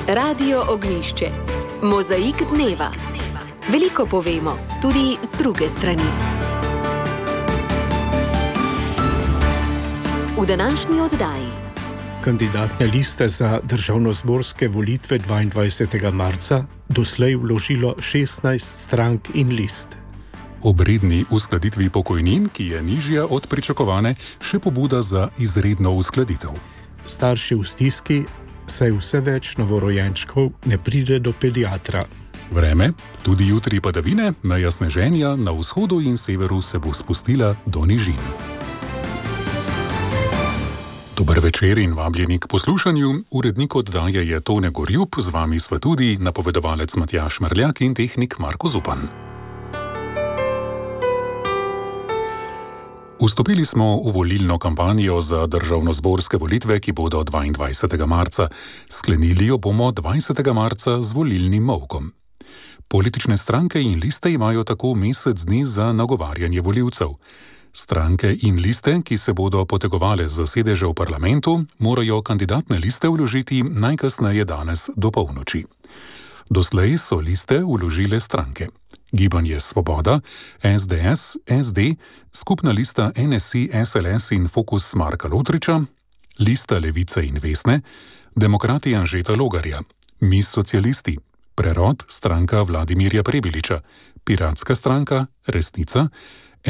Radio Ognjišče. Mozaik dneva. Veliko povemo, tudi z druge strani. V današnji oddaji. Kandidatne liste za državnozborske volitve 22. marca doslej vložilo 16 strank in list. Ob redni uskladitvi pokojnin, ki je nižja od pričakovane, še pobuda za izredno uskladitev. Starši v stiski, saj vse več novorojenčkov ne pride do pediatra. Vreme, tudi jutri padavine, meja sneženja na vzhodu in severu se bo spustila do nižin. Dober večer in vabljeni k poslušanju. Urednik oddaje je Tone Gorjup, z vami sva tudi napovedovalec Matjaž Merljak in tehnik Marko Zupan. Vstopili smo v volilno kampanjo za državnozborske volitve, ki bodo 22. marca. Sklenili jo bomo 20. marca z volilnim molkom. Politične stranke in liste imajo tako mesec dni za nagovarjanje volivcev. Stranke in liste, ki se bodo potegovale za sedeže v parlamentu, morajo kandidatne liste vložiti najkasneje danes do polnoči. Doslej so liste vložile stranke: Gibanje Svoboda, SDS, SD, skupna lista NSI, SLS in Fokus Marka Lotriča, lista Levice in Vesne, Demokrati Anžeta Logarja, Mi socialisti, Prerod, stranka Vladimirja Prebiliča, Piratska stranka, Resnica,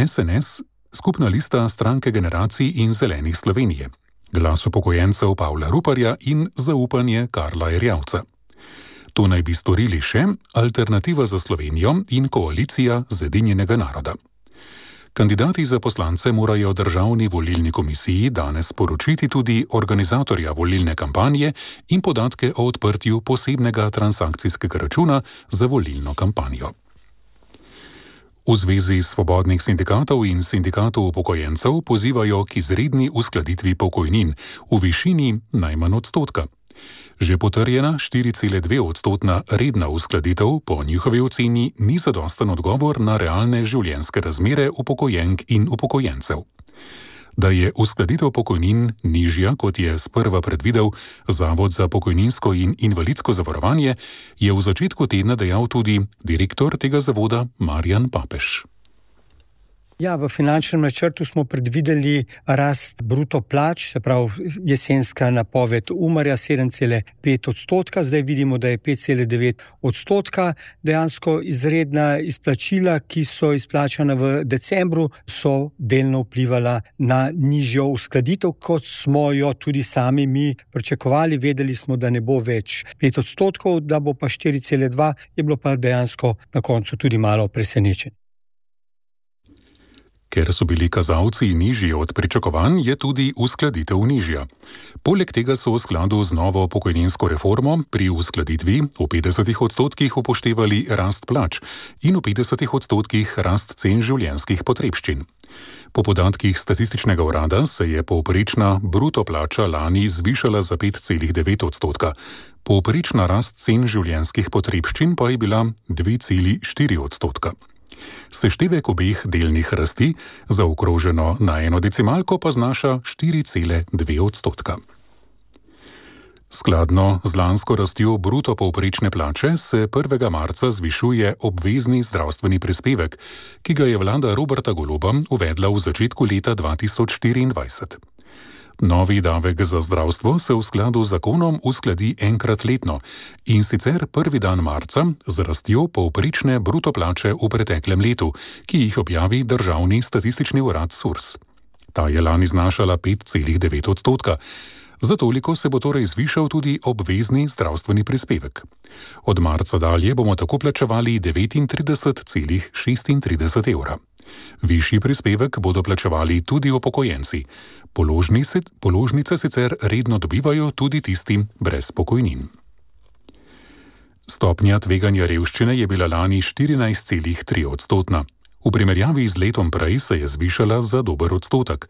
SNS, skupna lista Stranke generacij in Zelenih Slovenije, Glas upokojencev Pavla Ruparja in Zaupanje Karla Erjavca. To naj bi storili še Alternativa za Slovenijo in Koalicija Zedinjenega naroda. Kandidati za poslance morajo Državni volilni komisiji danes poročiti tudi organizatorja volilne kampanje in podatke o odprtju posebnega transakcijskega računa za volilno kampanjo. V Zvezi svobodnih sindikatov in sindikatov upokojencev pozivajo k izredni uskladitvi pokojnin v višini najmanj odstotka. Že potrjena 4,2-odstotna redna uskladitev po njihovi oceni ni zadosten odgovor na realne življenjske razmere upokojenk in upokojencev. Da je uskladitev pokojnin nižja, kot je sprva predvidel Zavod za pokojninsko in invalidsko zavarovanje, je v začetku tedna dejal tudi direktor tega zavoda Marjan Papež. Ja, v finančnem načrtu smo predvideli rast bruto plač, se pravi jesenska napoved Umarja 7,5 odstotka, zdaj vidimo, da je 5,9 odstotka. Dejansko izredna izplačila, ki so izplačana v decembru, so delno vplivala na nižjo uskladitev, kot smo jo tudi sami mi pričakovali. Vedeli smo, da ne bo več 5 odstotkov, da bo pa 4,2, je bilo pa dejansko na koncu tudi malo presenečenje. Ker so bili kazalci nižji od pričakovanj, je tudi uskladitev nižja. Poleg tega so v skladu z novo pokojninsko reformo pri uskladitvi v 50 odstotkih upoštevali rast plač in v 50 odstotkih rast cen življenjskih potrebščin. Po podatkih Statističnega urada se je povprečna bruto plača lani zvišala za 5,9 odstotka. Povprečna rast cen življenjskih potrebščin pa je bila 2,4 odstotka. Seštevek obeh delnih rasti, zaokroženo na eno decimalko, pa znaša 4,2 odstotka. Skladno z lansko rastjo bruto povprečne plače se 1. marca zvišuje obvezni zdravstveni prispevek, ki ga je vlada Roberta Goloba uvedla v začetku leta 2024. Novi davek za zdravstvo se v skladu z zakonom uskladi enkrat letno, in sicer 1. dan marca z rastjo povprečne bruto plače v preteklem letu, ki jih objavi Državni statistični urad SURS. Ta je lani znašala 5,9 odstotka. Za toliko se bo torej zvišal tudi obvezni zdravstveni prispevek. Od marca dalje bomo tako plačevali 39,36 evra. Višji prispevek bodo plačevali tudi upokojenci. Položnice sicer redno dobivajo tudi tisti brez pokojnin. Stopnja tveganja revščine je bila lani 14,3 odstotna. V primerjavi z letom prej se je zvišala za dober odstotek.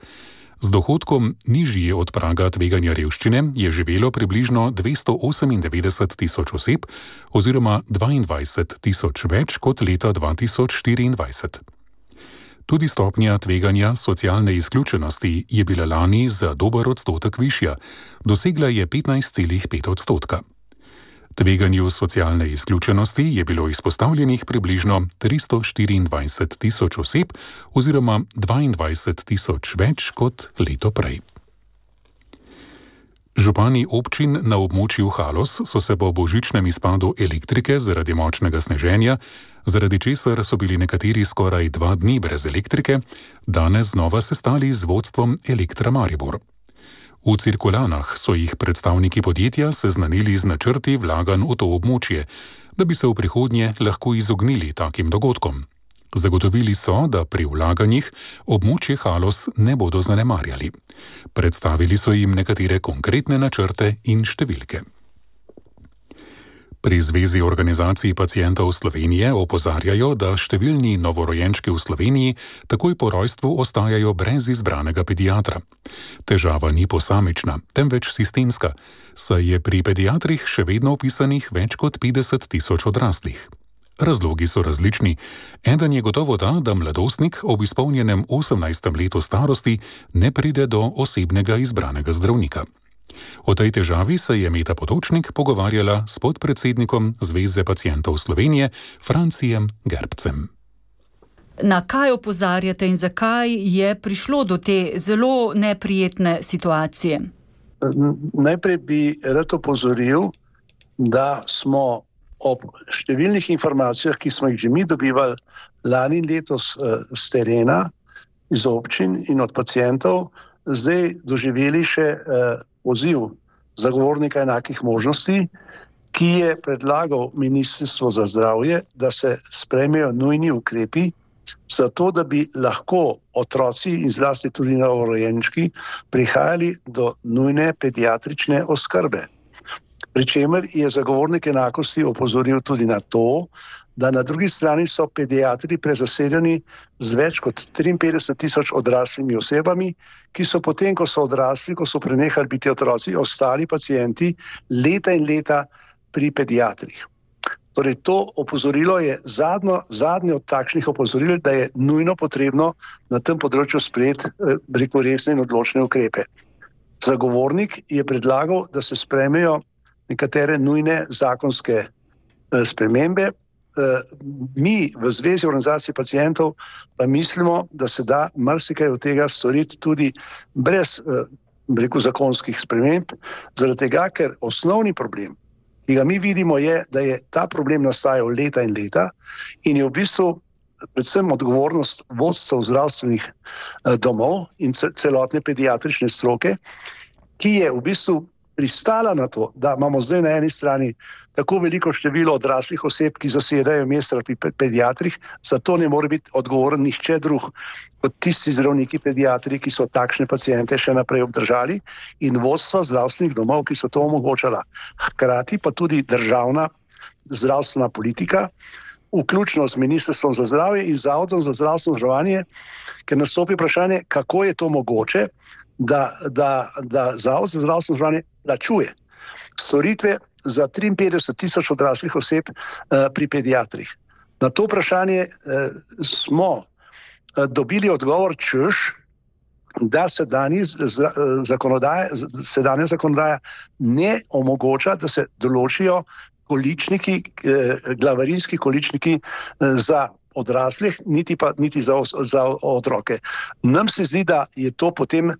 Z dohodkom nižji od praga tveganja revščine je živelo približno 298 tisoč oseb oziroma 22 tisoč več kot leta 2024. Tudi stopnja tveganja socialne izključenosti je bila lani za dober odstotek višja, dosegla je 15,5 odstotka. Tveganju socialne izključenosti je bilo izpostavljenih približno 324.000 oseb oziroma 22.000 več kot leto prej. Župani občin na območju Haloz so se po božičnem izpadu elektrike zaradi močnega sneženja, zaradi česar so bili nekateri skoraj 2 dni brez elektrike, danes znova sestali z vodstvom Elektra Maribor. V Cirkulanah so jih predstavniki podjetja seznanili z načrti vlaganj v to območje, da bi se v prihodnje lahko izognili takim dogodkom. Zagotovili so, da pri vlaganjih območje Haloz ne bodo zanemarjali. Predstavili so jim nekatere konkretne načrte in številke. Pri Zvezi organizacij pacientov Slovenije opozarjajo, da številni novorojenčki v Sloveniji takoj po rojstvu ostajajo brez izbranega pediatra. Težava ni posamična, temveč sistemska, saj je pri pediatrih še vedno vpisanih več kot 50.000 odraslih. Razlogi so različni. Eden je gotovo ta, da mladostnik ob izpolnjenem 18. letu starosti ne pride do osebnega izbranega zdravnika. O tej težavi se je Meta Potočnik pogovarjala s podpredsednikom Zveze pacientov Slovenije, Francijem Gerbcem. Na kaj opozarjate in zakaj je prišlo do te zelo neprijetne situacije? Najprej bi rad opozoril, da smo ob številnih informacijah, ki smo jih že mi dobivali lani in letos z terena, iz občin in od pacientov, zdaj doživeli še poziv zagovornika enakih možnosti, ki je predlagal Ministrstvo za zdravje, da se sprejmejo nujni ukrepi, zato da bi lahko otroci in zlasti tudi novorojenčki prihajali do nujne pediatrične oskrbe. Pričemer je zagovornik enakosti opozoril tudi na to, da na drugi strani so pediatri prezasedeni z več kot 53.000 odraslimi osebami, ki so potem, ko so odrasli, ko so prenehali biti otroci, ostali pacienti leta in leta pri pediatrih. Torej, to opozorilo je zadnje od takšnih opozoril, da je nujno potrebno na tem področju sprejeti resne in odločne ukrepe. Zagovornik je predlagal, da se sprejmejo nekatere nujne zakonske spremembe. Mi v Zvezi organizacij pacientov pa mislimo, da se da marsikaj od tega storiti tudi brez zakonskih sprememb, zaradi tega, ker osnovni problem, ki ga mi vidimo, je, da je ta problem nastajal leta in leta in je v bistvu predvsem odgovornost vodstev zdravstvenih domov in celotne pediatrične stroke, ki je v bistvu pristala na to, da imamo zdaj na eni strani tako veliko število odraslih oseb, ki zasedajo mesta pri pediatrih, zato ne more biti odgovoren nihče drug kot tisti zdravniki pediatri, ki so takšne paciente še naprej obdržali in vodstva zdravstvenih domov, ki so to omogočala. Hkrati pa tudi državna zdravstvena politika, vključno z Ministrstvom za zdravje in Zavodom za zdravstveno zavarovanje, ker nastopi vprašanje, kako je to mogoče, da Zavod za zdravstveno zavarovanje plačuje storitve za 53.000 odraslih oseb pri pediatrih. Na to vprašanje smo dobili odgovor, češ, da sedanja zakonodaja ne omogoča, da se določijo količniki, glavarinski količniki za odraslih, niti za otroke. Nam se zdi, da je to potem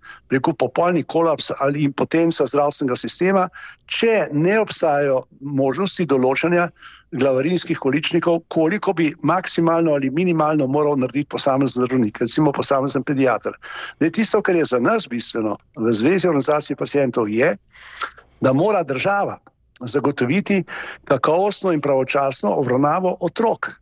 popolni kolaps ali impotenca zdravstvenega sistema, če ne obstajajo možnosti določanja glavarinskih količnikov, koliko bi maksimalno ali minimalno moral narediti posamezen zdravnik, recimo posamezen pediater. Tisto, kar je za nas bistveno v Zvezi organizacij pacientov, je, da mora država zagotoviti kakovostno in pravočasno obravnavo otrok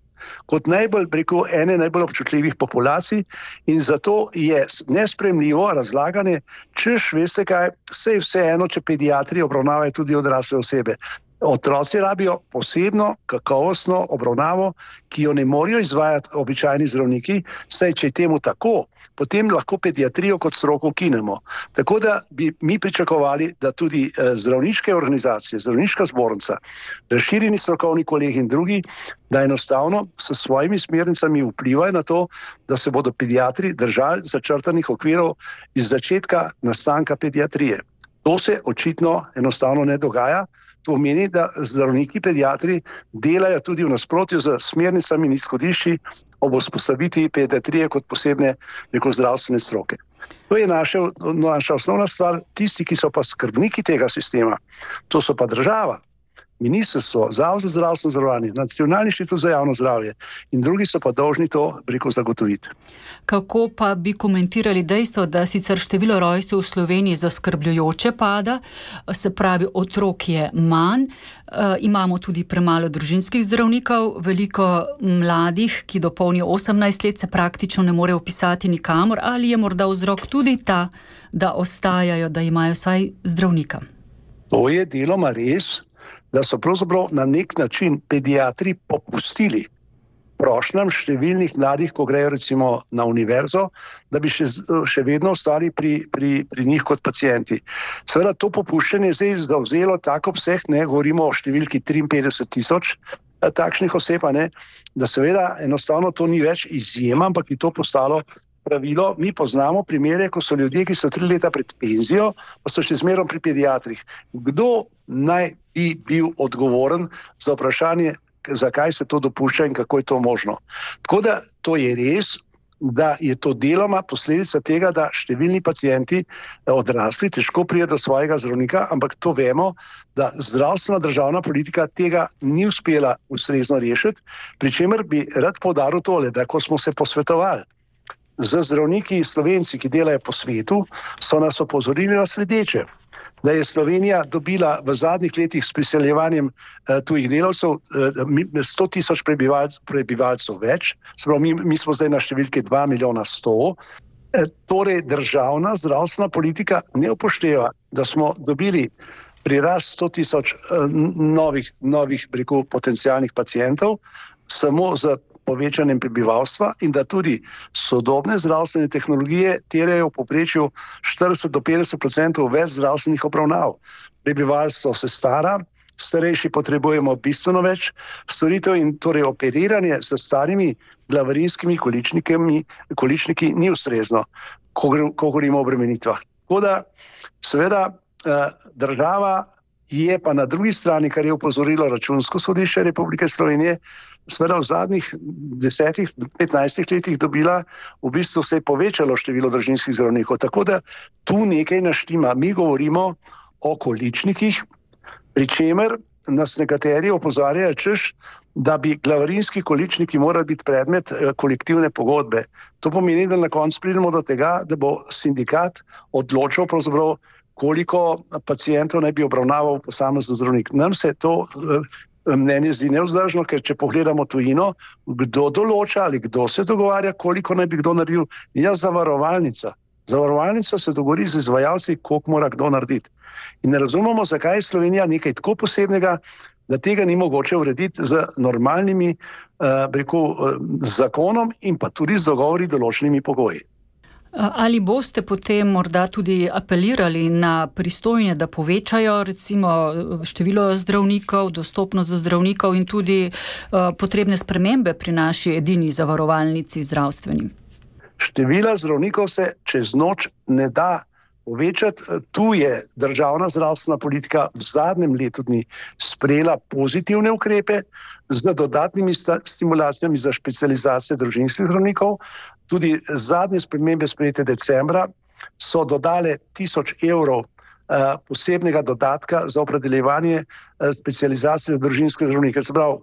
kot ene najbolj občutljivih populacij in zato je nesprejemljivo razlaganje, češ, veste kaj, saj vseeno, če pediatri obravnavajo tudi odrasle osebe. Otroci rabijo posebno kakovostno obravnavo, ki jo ne morejo izvajati običajni zdravniki, saj če je temu tako, potem lahko pediatrijo kot stroko ukinemo. Tako da bi mi pričakovali, da tudi zdravniške organizacije, zdravniška zbornica, razširjeni strokovni kolegi in drugi, da enostavno s svojimi smernicami vplivajo na to, da se bodo pediatri držali začrtanih okvirov iz začetka nastanka pediatrije. To se očitno enostavno ne dogaja, To pomeni, da zdravniki, pediatri delajo tudi v nasprotju z smernicami in izhodišči ob vzpostavitvi pediatrije kot posebne zdravstvene stroke. To je naša osnovna stvar. Tisti, ki so pa skrbniki tega sistema, to so pa država, ministrstvo, Zavod za zdravstveno zavarovanje, Nacionalni inštitut za javno zdravje in drugi so pa dolžni to zagotoviti. Kako pa bi komentirali dejstvo, da sicer število rojstev v Sloveniji zaskrbljujoče pada, se pravi otrok je manj, imamo tudi premalo družinskih zdravnikov, veliko mladih, ki dopolnijo 18 let, se praktično ne morejo vpisati nikamor, ali je morda vzrok tudi ta, da ostajajo, da imajo vsaj zdravnika? To je deloma res, da so pravzaprav na nek način pediatri popustili prošnjam številnih mladih, ko grejo recimo na univerzo, da bi še vedno ostali pri njih kot pacienti. Seveda to popuščanje je zdaj zavzelo tak obseg, govorimo o številki 53,000 takšnih oseb, da seveda enostavno to ni več izjema, ampak je to postalo pravilo. Mi poznamo primere, ko so ljudje, ki so 3 leta pred penzijo, pa so še zmerom pri pediatrih. Kdo naj bi bil odgovoren za vprašanje, zakaj se to dopušča in kako je to možno? Tako da to je res, da je to deloma posledica tega, da številni pacienti odrasli težko pridejo do svojega zdravnika, ampak to vemo, da zdravstvena državna politika tega ni uspela ustrezno rešiti, pri čemer bi rad poudaril tole, da ko smo se posvetovali z zdravniki Slovenci, ki delajo po svetu, so nas opozorili na sledeče, da je Slovenija dobila v zadnjih letih s priseljevanjem tujih delavcev 100,000 prebivalcev več, se pravi, mi smo zdaj na številki 2,100,000, torej državna zdravstvena politika ne upošteva, da smo dobili prirast 100,000 novih potencialnih pacientov, samo z povečanjem prebivalstva in da tudi sodobne zdravstvene tehnologije terjajo v povprečju 40 do 50% več zdravstvenih obravnav. Prebivalstvo se stara, starejši potrebujemo bistveno več storitev in torej operiranje s starimi glavarinskimi količniki ni ustrezno, ko govorimo o obremenitvah. Tako da seveda država je pa na drugi strani, kar je opozorilo Računsko sodišče Republike Slovenije, seveda v zadnjih 10-15 letih dobila, v bistvu se je povečalo število družinskih zdravnikov. Tako da tu nekaj naštima. Mi govorimo o količnikih, pri čemer nas nekateri opozarjajo, češ, da bi glavarinski količniki morali biti predmet kolektivne pogodbe. To pomeni, da na koncu pridemo do tega, da bo sindikat odločal pravzaprav, koliko pacientov naj bi obravnaval posamezen zdravnik. Nam se to mnenje zdi nevzdržno, ker če pogledamo tujino, kdo določa ali kdo se dogovarja, koliko naj bi kdo naredil, je zavarovalnica. Zavarovalnica se dogovori z izvajalci, koliko mora kdo narediti. In ne razumemo, zakaj je Slovenija nekaj tako posebnega, da tega ni mogoče urediti z normalnimi zakonom in pa tudi z dogovori določenimi pogoji. Ali boste potem morda tudi apelirali na pristojne, da povečajo recimo število zdravnikov, dostopnost do zdravnikov in tudi potrebne spremembe pri naši edini zavarovalnici zdravstveni? Števila zdravnikov se čez noč ne da povečati. Tu je državna zdravstvena politika v zadnjem letu dni sprejela pozitivne ukrepe z dodatnimi stimulacijami za specializacijo družinskih zdravnikov. Tudi zadnje spremembe sprejete decembra so dodale 1,000 evrov posebnega dodatka za opredeljevanje specializacije družinskih zdravnikov. Se pravi,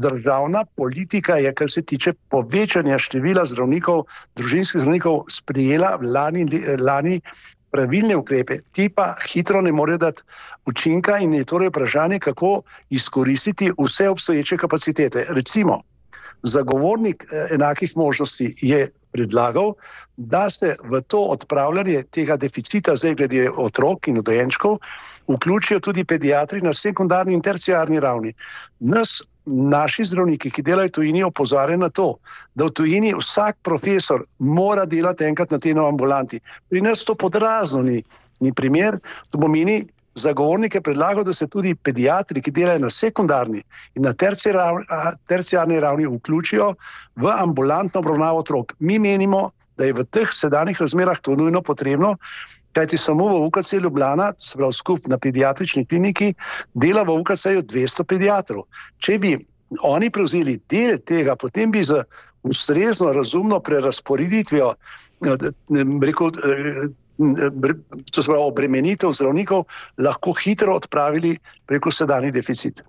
državna politika je, kar se tiče povečanja števila zdravnikov, družinskih zdravnikov, sprejela lani pravilne ukrepe. Ti pa hitro ne morejo dati učinka in je torej vprašanje, kako izkoristiti vse obstoječe kapacitete. Recimo, zagovornik enakih možnosti je predlagal, da se v to odpravljanje tega deficita zdaj glede otrok in dojenčkov vključijo tudi pediatri na sekundarni in terciarni ravni. Naši zdravniki, ki delajo v tujini, opozarjajo na to, da v tujini vsak profesor mora delati enkrat na teden v ambulanti. Pri nas to podrazno ni primer. To pomeni, zagovornik je predlagal, da se tudi pediatri, ki delajo na sekundarni in na terciarni ravni, vključijo v ambulantno obravnavo otrok. Mi menimo, da je v teh sedanjih razmerah to nujno potrebno kajti samo v UKC Ljubljana, se pravi skupaj na pediatrični kliniki, dela v UKC-ju 200 pediatrov. Če bi oni prevzeli del tega, potem bi z ustrezno, razumno prerazporeditvijo, to se pravi obremenitev zdravnikov, lahko hitro odpravili sedanji deficit.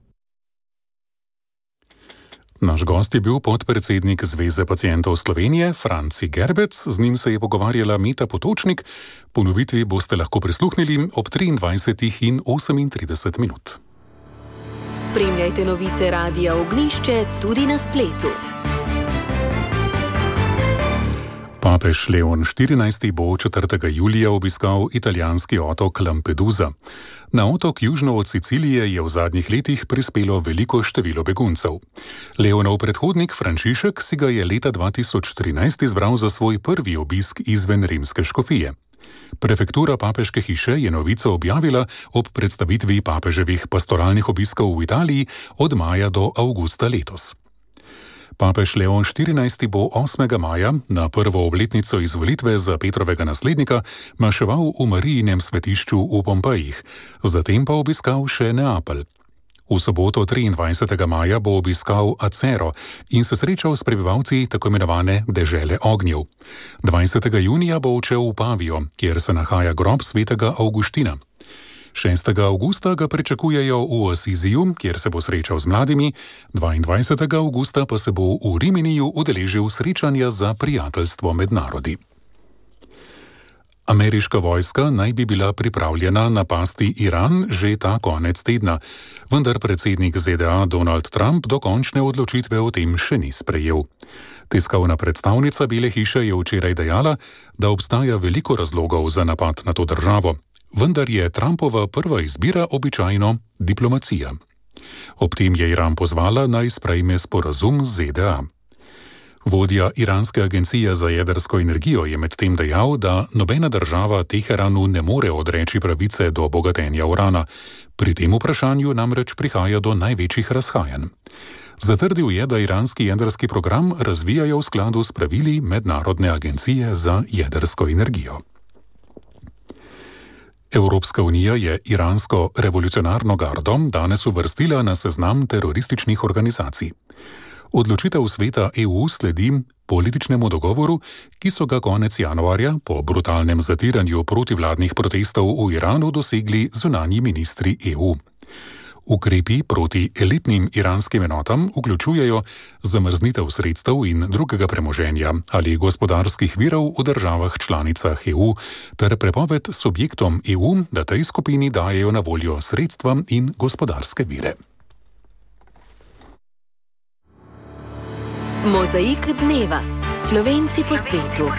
Naš gost je bil podpredsednik Zveze pacientov Slovenije, Franci Gerbec, z njim se je pogovarjala Meta Potočnik. Ponovitvi boste lahko prisluhnili ob 23:38 minut. Spremljajte novice Radia Ognjišče tudi na spletu. Papež Leon XIV. Bo 4. julija obiskal italijanski otok Lampedusa. Na otok južno od Sicilije je v zadnjih letih prispelo veliko število beguncev. Leonov predhodnik Frančišek si ga je leta 2013 izbral za svoj prvi obisk izven rimske škofije. Prefektura papeške hiše je novico objavila ob predstavitvi papeževih pastoralnih obiskov v Italiji od maja do avgusta letos. Papež Leon XIV. Bo 8. maja na prvo obletnico izvolitve za Petrovega naslednika maševal v Marijinem svetišču v Pompejih, zatem pa obiskal še Neapelj. V soboto 23. maja bo obiskal Acero in se srečal s prebivalci tako imenovane dežele ognjev. 20. junija bo odšel v Pavijo, kjer se nahaja grob svetega Avguština. 6. avgusta ga pričakujejo v Asiziju, kjer se bo srečal z mladimi, 22. avgusta pa se bo v Riminiju udeležil srečanja za prijateljstvo med narodi. Ameriška vojska naj bi bila pripravljena napasti Iran že ta konec tedna, vendar predsednik ZDA Donald Trump dokončne odločitve o tem še ni sprejel. Tiskovna predstavnica Bele hiše je včeraj dejala, da obstaja veliko razlogov za napad na to državo, vendar je Trumpova prva izbira običajno diplomacija. Ob tem je Iran pozvala, naj sprejme sporazum z ZDA. Vodja iranske agencije za jedrsko energijo je medtem dejal, da nobena država Teheranu ne more odreči pravice do bogatenja urana. Pri tem vprašanju namreč prihaja do največjih razhajanj. Zatrdil je, da iranski jedrski program razvijajo v skladu s pravili Mednarodne agencije za jedrsko energijo. Evropska unija je iransko revolucionarno gardo danes uvrstila na seznam terorističnih organizacij. Odločitev sveta EU sledi političnemu dogovoru, ki so ga konec januarja po brutalnem zatiranju protivladnih protestov v Iranu dosegli zunanji ministri EU. Ukrepi proti elitnim iranskim enotam vključujejo zamrznitev sredstev in drugega premoženja ali gospodarskih virov v državah članicah EU ter prepoved subjektom EU, da tej skupini dajejo na voljo sredstva in gospodarske vire. Mozaik dneva. Slovenci po svetu.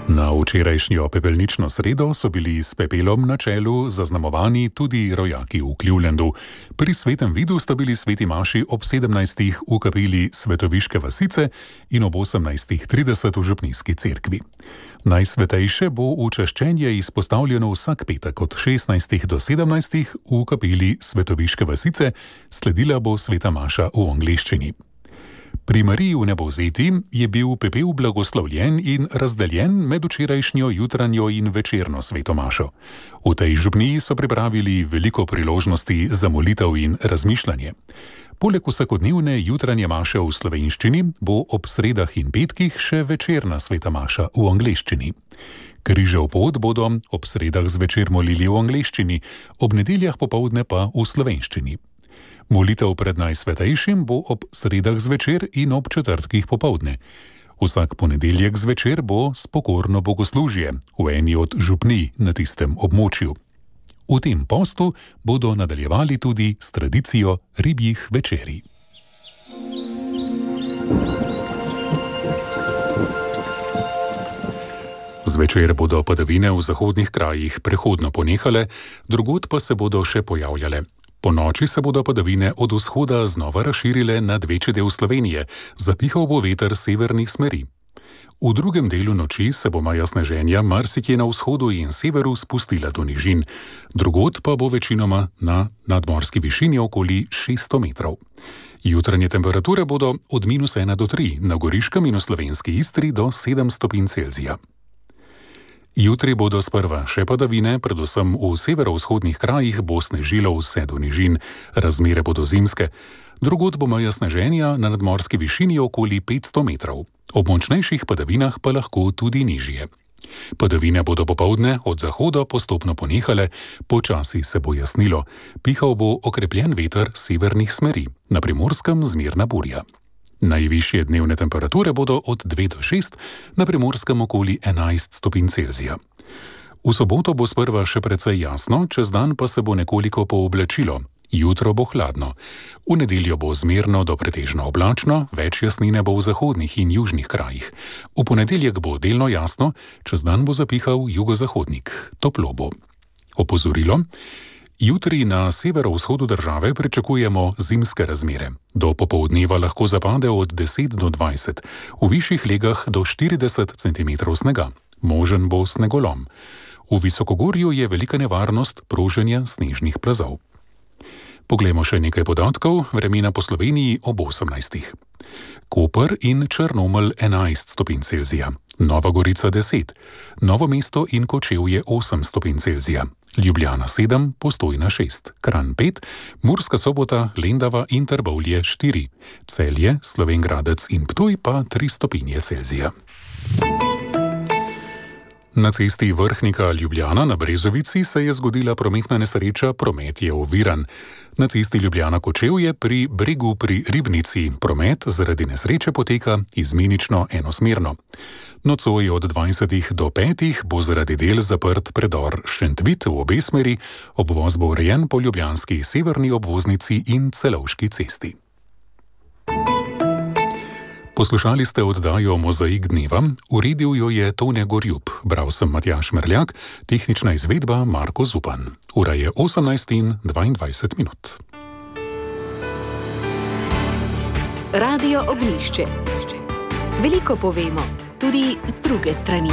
Na včerajšnjo pepelnično sredo so bili s pepelom na čelu zaznamovani tudi rojaki v Clevelandu. Pri svetem vidu sta bili sveti maši ob 17. v kapeli Svetoviške vasice in ob 18:30 v župnijski cerkvi. Najsvetejše bo učeščenje izpostavljeno vsak petek od 16. do 17. v kapeli Svetoviške vasice, sledila bo sveta maša v angleščini. Pri Mariji v Nebovzeti je bil pepel blagoslovljen in razdeljen med včerajšnjo jutranjo in večerno sveto mašo. V tej župniji so pripravili veliko priložnosti za molitev in razmišljanje. Poleg vsakodnevne jutranje maše v slovenščini bo ob sredah in petkih še večerna sveta maša v angleščini. Križev pot bodo ob sredah zvečer molili v angleščini, ob nedeljah popoldne pa v slovenščini. Molitev pred najsvetejšim bo ob sredah zvečer in ob četrtkih popoldne. Vsak ponedeljek zvečer bo spokorno bogoslužje v eni od župnij na tistem območju. V tem postu bodo nadaljevali tudi s tradicijo ribjih večerij. Zvečer bodo padavine v zahodnih krajih prehodno ponehale, drugod pa se bodo še pojavljale. Po noči se bodo padavine od vzhoda znova razširile nad večji del Slovenije, zapihal bo veter severnih smeri. V drugem delu noči se bo maja sneženja marsikje na vzhodu in severu spustila do nižin, drugod pa bo večinoma na nadmorski višini okoli 600 metrov. Jutranje temperature bodo od -1 do -3, na Goriškem in v slovenski Istri do 7 stopinj Celzija. Jutri bodo sprva še padavine, predvsem v severovzhodnih krajih bo snežilo vse do nižin, razmere bodo zimske. Drugod bo meja sneženja na nadmorski višini okoli 500 metrov. Ob močnejših padavinah pa lahko tudi nižje. Padavine bodo popoldne od zahoda postopno ponehale, počasi se bo jasnilo. Pihal bo okrepljen veter severnih smeri, na Primorskem zmerna burja. Najvišje dnevne temperature bodo od 2 do 6, na Primorskem okoli 11 stopinj Celzija. V soboto bo sprva še precej jasno, čez dan pa se bo nekoliko pooblačilo. Jutro bo hladno. V nedeljo bo zmerno do pretežno oblačno, več jasnine bo v zahodnih in južnih krajih. V ponedeljek bo delno jasno, čez dan bo zapihal jugozahodnik. Toplo bo. Opozorilo. Jutri na severovzhodu države pričakujemo zimske razmere. Do popoldneva lahko zapade od 10 do 20, v višjih legah do 40 cm snega. Možen bo snegolom. V visokogorju je velika nevarnost proženja snežnih plazov. Poglejmo še nekaj podatkov, vremena po Sloveniji ob 18. Koper in Črnomelj 11 stopinj Celzija, Nova Gorica 10, Novo mesto in Kočevje 8 stopinj Celzija, Ljubljana 7, Postojna 6, Kranj 5, Murska Sobota, Lendava in Trbovlje 4, Celje, Slovenj Gradec in Ptuj pa 3 stopinje Celzija. Na cesti Vrhnika-Ljubljana na Brezovici se je zgodila prometna nesreča, promet je oviran. Na cesti Ljubljana-Kočevje pri Bregu pri Ribnici promet zaradi nesreče poteka izmenično enosmerno. Nocoj od 20 do 5 bo zaradi del zaprt predor Šentvit v obe smeri, obvoz bo urejen po ljubljanski severni obvoznici in Celovški cesti. Poslušali ste oddajo Mozaik dneva, uredil jo je Tone Gorjub, bral sem Matjaž Merljak, tehnična izvedba Marko Zupan. Ura je 18:22 minut. Radio Ognjišče. Veliko povemo, tudi z druge strani.